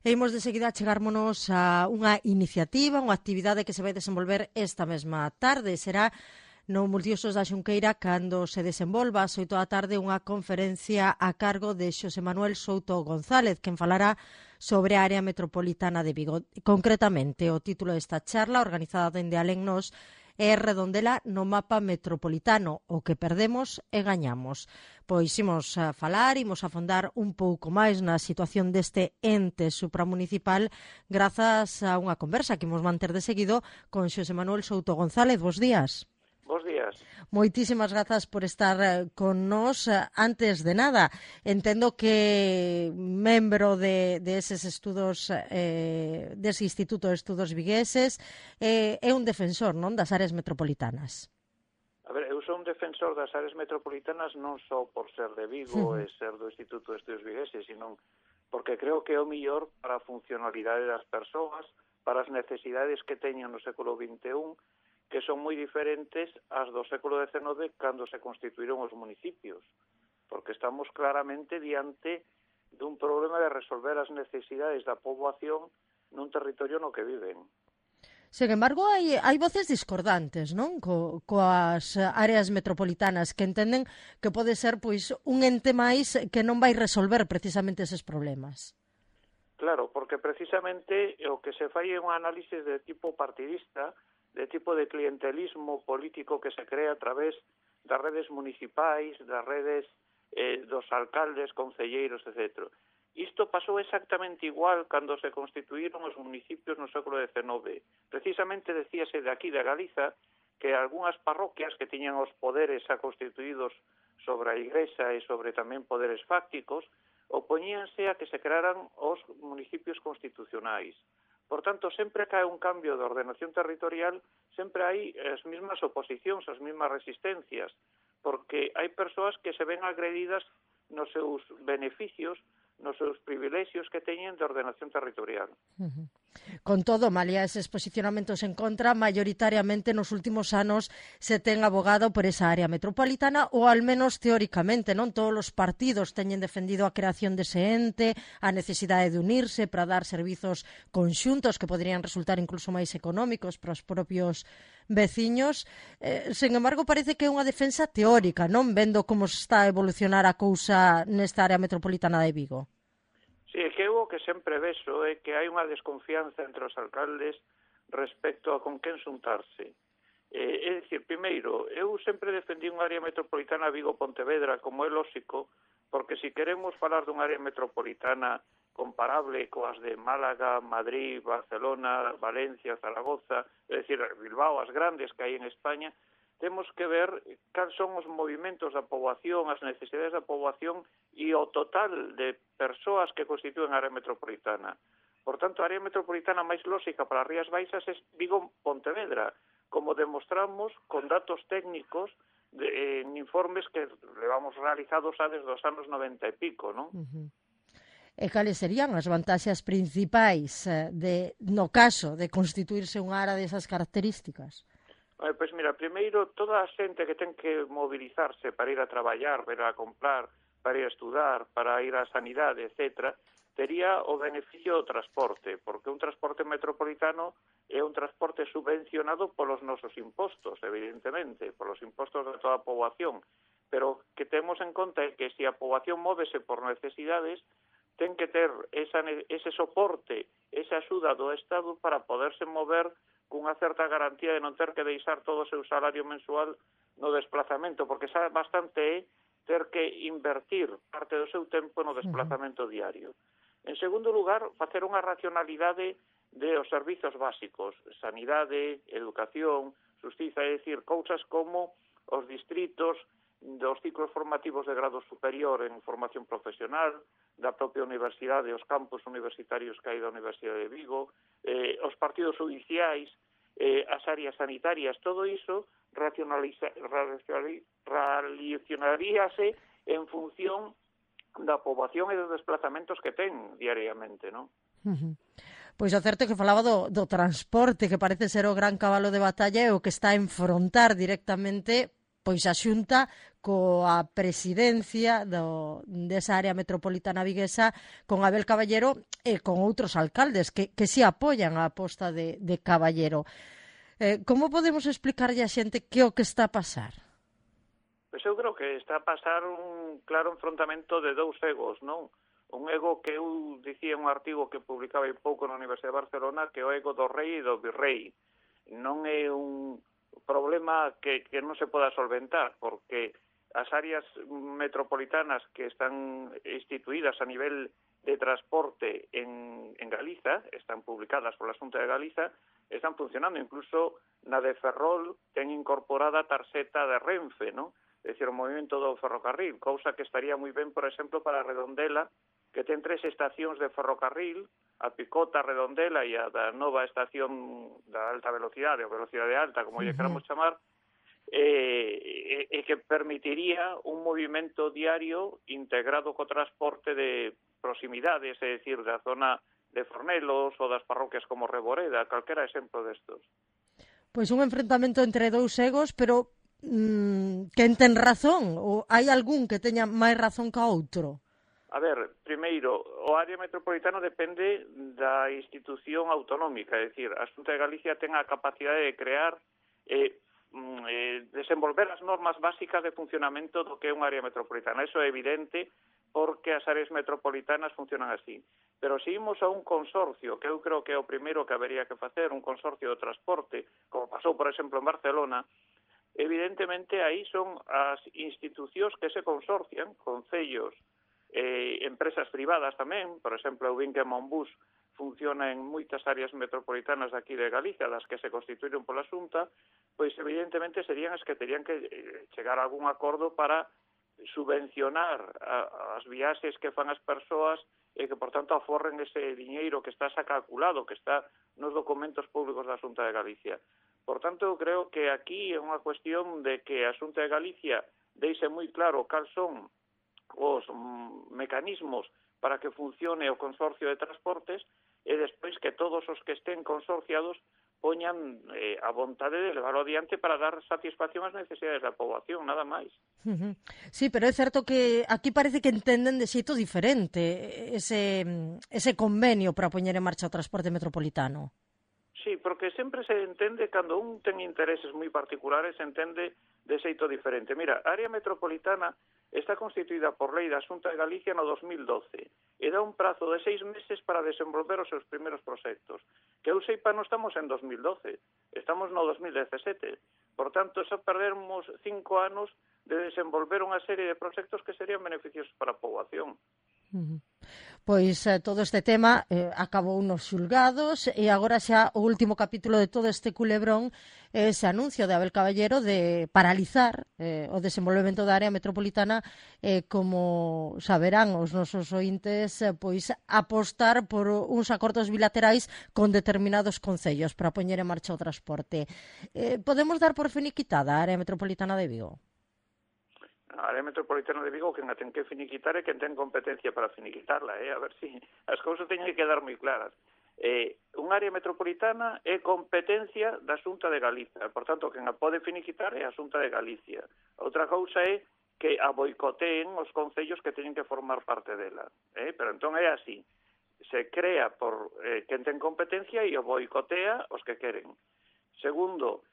E imos de seguida chegármonos a unha iniciativa, unha actividade que se vai desenvolver esta mesma tarde. Será no Multiusos da Xunqueira cando se desenvolva ás 8 da tarde unha conferencia a cargo de Xosé Manuel Souto González, quen falará sobre a área metropolitana de Vigo. Concretamente, o título desta charla, organizada dende Alennos, é Redondela no mapa metropolitano, o que perdemos e gañamos. Pois imos a falar, imos a afondar un pouco máis na situación deste ente supramunicipal grazas a unha conversa que imos manter de seguido con Xosé Manuel Souto González. Bos días. Bos días. Moitísimas grazas por estar con nós. Antes de nada, entendo que membro de eses estudos, dese Instituto de Estudos Vigueses, é un defensor, non, das áreas metropolitanas. A ver, eu sou un defensor das áreas metropolitanas non só por ser de Vigo e ser do Instituto de Estudos Vigueses, sino porque creo que é o mellor para a funcionalidade das persoas, para as necesidades que teñen no século XXI, que son moi diferentes ás do século XIX cando se constituíron os municipios, porque estamos claramente diante dun problema de resolver as necesidades da poboación nun territorio no que viven. Sen embargo, hai voces discordantes, non? Coas áreas metropolitanas que entenden que pode ser pois un ente máis que non vai resolver precisamente eses problemas. Claro, porque precisamente o que se fai é un análisis de tipo partidista, de tipo de clientelismo político que se crea a través das redes municipais, das redes dos alcaldes, concelleiros, etc. Isto pasou exactamente igual cando se constituíron os municipios no século XIX. Precisamente decíase de aquí, de Galiza, que algunhas parroquias que tiñan os poderes xa constituídos sobre a Igrexa e sobre tamén poderes fácticos, opoñíanse a que se crearan os municipios constitucionais. Por tanto, sempre que hai un cambio de ordenación territorial, sempre hai as mesmas oposicións, as mesmas resistencias, porque hai persoas que se ven agredidas nos seus beneficios, nos seus privilexios que teñen de ordenación territorial. Con todo, malia eses posicionamentos en contra, maioritariamente nos últimos anos se ten abogado por esa área metropolitana, ou al menos teóricamente, non? Todos os partidos teñen defendido a creación dese ente, a necesidade de unirse para dar servizos conxuntos que poderían resultar incluso máis económicos para os propios veciños. Sen embargo, parece que é unha defensa teórica, non? Vendo como está a evolucionar a cousa nesta área metropolitana de Vigo. Sí, é que eu o que sempre vexo é que hai unha desconfianza entre os alcaldes respecto a con quen xuntarse. É dicir, primeiro, eu sempre defendí unha área metropolitana Vigo-Pontevedra, como é lóxico, porque se queremos falar dunha área metropolitana comparable coas de Málaga, Madrid, Barcelona, Valencia, Zaragoza, é dicir, Bilbao, as grandes que hai en España, temos que ver cales son os movimentos da poboación, as necesidades da poboación e o total de persoas que constituen a área metropolitana. Por tanto, a área metropolitana máis lóxica para as Rías Baixas é Vigo-Pontevedra, como demostramos con datos técnicos en informes que levamos realizados desde os anos 90 e pico, non? E cales serían as vantaxes principais no caso de constituirse unha área desas características? Pois mira, primeiro, toda a xente que ten que mobilizarse para ir a traballar, para ir a comprar, para ir a estudar, para ir á sanidade, etc., tería o beneficio do transporte, porque un transporte metropolitano é un transporte subvencionado polos nosos impostos, evidentemente, polos impostos de toda a poboación, pero que temos en conta é que se a poboación móvese por necesidades, ten que ter ese soporte, esa axuda do Estado para poderse mover cunha certa garantía de non ter que deixar todo o seu salario mensual no desplazamento, porque xa bastante é ter que invertir parte do seu tempo no desplazamento diario. En segundo lugar, facer unha racionalidade dos servizos básicos, sanidade, educación, xustiza, é dicir, cousas como os distritos dos ciclos formativos de grado superior en formación profesional, da propia universidade, os campus universitarios que hai da Universidade de Vigo, os partidos judiciais, as áreas sanitarias, todo iso racionaríase en función da poboación e dos desplazamentos que ten diariamente, non? Pois o certo é que falaba do transporte, que parece ser o gran cabalo de batalla e o que está a enfrontar directamente pois a Xunta coa presidencia desa área metropolitana viguesa con Abel Caballero e con outros alcaldes que se apoian a aposta de Caballero. Como podemos explicarlle a xente que o que está a pasar? Pois eu creo que está a pasar un claro enfrontamento de dous egos, non? Un ego que eu dicía en un artigo que publicaba hai pouco na Universidade de Barcelona, que é o ego do rei e do virrei. Non é un problema que non se poda solventar, porque as áreas metropolitanas que están instituídas a nivel de transporte en Galiza, están publicadas pola Xunta de Galiza, están funcionando. Incluso na de Ferrol ten incorporada a tarxeta de Renfe, non? É dicir, o movimento do ferrocarril, cousa que estaría moi ben, por exemplo, para Redondela, que ten 3 estacións de ferrocarril, a Picota, a Redondela e a da nova estación da alta velocidade, ou velocidade alta, como lle queramos chamar, e que permitiría un movimento diario integrado co transporte de proximidades, é dicir, da zona de Fornelos ou das parroquias como Reboreda, calquera exemplo destos. Pois un enfrentamento entre dous egos, pero quen ten razón? Ou hai algún que teña máis razón que outro? A ver, primeiro, o área metropolitana depende da institución autonómica, é dicir, a Xunta de Galicia ten a capacidade de crear desenvolver as normas básicas de funcionamento do que é unha área metropolitana. Eso é evidente porque as áreas metropolitanas funcionan así. Pero se imos a un consorcio, que eu creo que é o primeiro que habería que facer, un consorcio de transporte, como pasou, por exemplo, en Barcelona, evidentemente aí son as institucións que se consorcian, concellos, empresas privadas tamén, por exemplo, o Vinque Monbus funciona en moitas áreas metropolitanas aquí de Galicia, das que se constituíron pola Xunta, pois evidentemente serían as que terían que chegar a algún acordo para subvencionar as viaxes que fan as persoas e que, por tanto, aforren ese diñeiro que está xa calculado, que está nos documentos públicos da Xunta de Galicia. Por tanto, eu creo que aquí é unha cuestión de que a Xunta de Galicia deixe moi claro cal son os mecanismos para que funcione o consorcio de transportes e despois que todos os que estén consorciados poñan a vontade de levarlo adiante para dar satisfacción ás necesidades da poboación, nada máis. Sí, pero é certo que aquí parece que entenden de xeito diferente ese convenio para poñer en marcha o transporte metropolitano. Sí, porque sempre se entende, cando un ten intereses moi particulares, se entende de xeito diferente. Mira, a área metropolitana está constituída por lei da Xunta de Galicia no 2012 e dá un prazo de 6 meses para desenvolver os seus primeiros proxectos. Que eu seipa, non estamos en 2012, estamos no 2017. Por tanto, xa perdermos 5 anos de desenvolver unha serie de proxectos que serían beneficiosos para a poboación. Pois todo este tema acabou nos xulgados e agora xa o último capítulo de todo este culebrón é ese anuncio de Abel Caballero de paralizar o desenvolvemento da área metropolitana como saberán os nosos ointes, pois apostar por uns acordos bilaterais con determinados concellos para poñer en marcha o transporte. Podemos dar por finiquitada a área metropolitana de Vigo? A área metropolitana de Vigo, quen a ten que finiquitar é quen ten competencia para finiquitarla, a ver si as cousas teñen que quedar moi claras. Unha área metropolitana é competencia da Xunta de Galicia, por tanto, quen a pode finiquitar é a Xunta de Galicia. Outra cousa é que a boicoteen os concellos que teñen que formar parte dela, pero entón é así. Se crea por quen ten competencia e o boicotea os que queren. Segundo,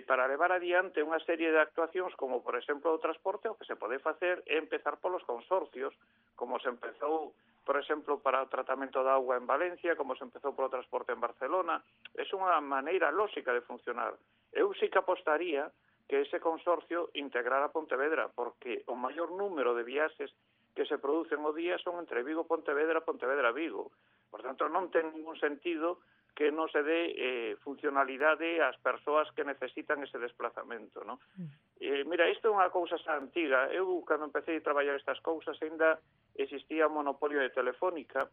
para levar adiante unha serie de actuacións como, por exemplo, o transporte, o que se pode facer é empezar polos consorcios, como se empezou, por exemplo, para o tratamento da auga en Valencia, como se empezou polo transporte en Barcelona. É unha maneira lóxica de funcionar. Eu sí que apostaría que ese consorcio integrara Pontevedra, porque o maior número de viaxes que se producen o día son entre Vigo-Pontevedra, Pontevedra-Vigo. Por tanto, non ten ningún sentido que non se dé funcionalidade ás persoas que necesitan ese desplazamento, non? Mira, isto é unha cousa xa antiga. Eu, cando empecé a traballar estas cousas, ainda existía o monopolio de Telefónica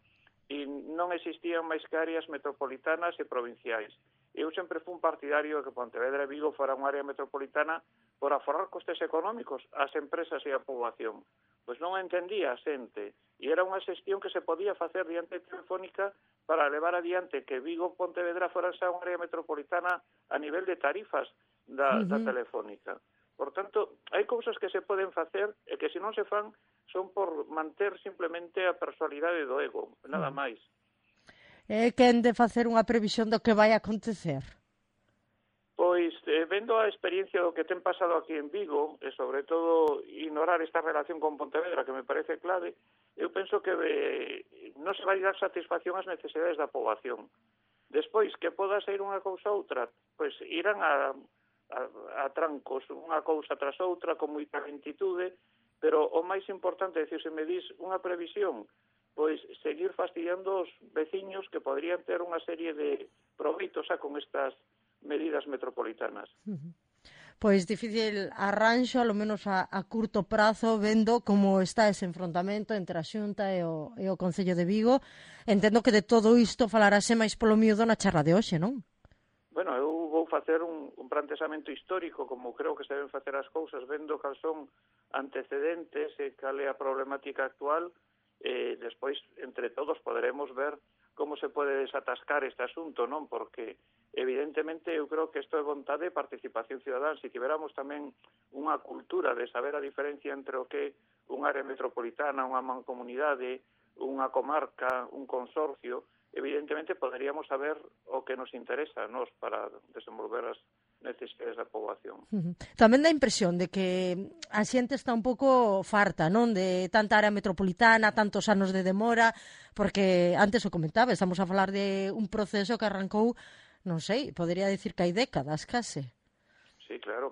e non existían máis que áreas metropolitanas e provinciais. Eu sempre fui un partidario de que Pontevedra e Vigo fora unha área metropolitana por aforrar costes económicos ás empresas e á poboación. Pois non entendía a xente e era unha xestión que se podía facer diante de Telefónica para levar adiante que Vigo e Pontevedra foran xa unha área metropolitana a nivel de tarifas da Telefónica. Por tanto, hai cousas que se poden facer e que se non se fan son por manter simplemente a personalidade do ego, nada máis. Quen de facer unha previsión do que vai acontecer? Pois, vendo a experiencia do que ten pasado aquí en Vigo, e sobre todo ignorar esta relación con Pontevedra, que me parece clave, eu penso que non se vai dar satisfacción ás necesidades da poboación. Despois, que poda ser unha cousa ou outra, pois irán a trancos, unha cousa tras outra, con moita lentitude, pero o máis importante, é dicir, se me dis unha previsión, pois seguir fastidiando os veciños que podrían ter unha serie de proveitos con estas medidas metropolitanas. Pois difícil arranxo, alo menos a curto prazo, vendo como está ese enfrontamento entre a Xunta e o Concello de Vigo. Entendo que de todo isto falarase máis polo miúdo na charla de hoxe, non? Bueno, eu vou facer un planteamento histórico, como creo que se deben facer as cousas, vendo cal son antecedentes e cal é a problemática actual, e despois, entre todos, poderemos ver como se pode desatascar este asunto, non? Porque, evidentemente, eu creo que isto é vontade de participación cidadana. Se tiveramos tamén unha cultura de saber a diferencia entre o que é unha área metropolitana, unha mancomunidade, unha comarca, un consorcio, evidentemente poderíamos saber o que nos interesa a nós para desenvolver as necesidades da poboación. Tamén dá a impresión de que a xente está un pouco farta, non? De tanta área metropolitana, tantos anos de demora, porque antes o comentaba, estamos a falar de un proceso que arrancou, non sei, podería dicir que hai décadas, case. Sí, claro.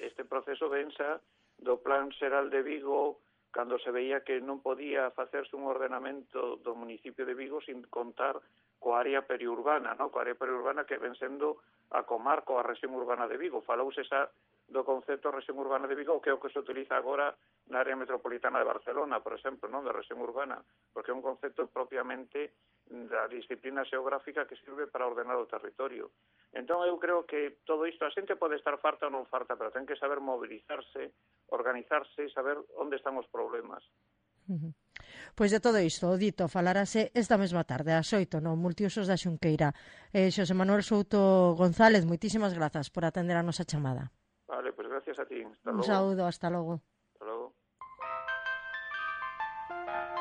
Este proceso vensa do Plan Xeral de Vigo, cando se veía que non podía facerse un ordenamento do municipio de Vigo sin contar coa área periurbana, no? Coa área periurbana que ven sendo a comarca ou a rexión urbana de Vigo. Falouse xa do concepto de rexión urbana de Vigo, que é o que se utiliza agora na área metropolitana de Barcelona, por exemplo, non, de rexión urbana, porque é un concepto propiamente da disciplina xeográfica que sirve para ordenar o territorio. Entón, eu creo que todo isto, a xente pode estar farta ou non farta, pero ten que saber mobilizarse, organizarse e saber onde están os problemas. Pois de todo isto, o dito, falarase esta mesma tarde, ás 8, no Multiusos da Xunqueira. Xosé Manuel Souto González, moitísimas grazas por atender a nosa chamada. Vale, pois gracias a ti. Un saúdo, hasta logo.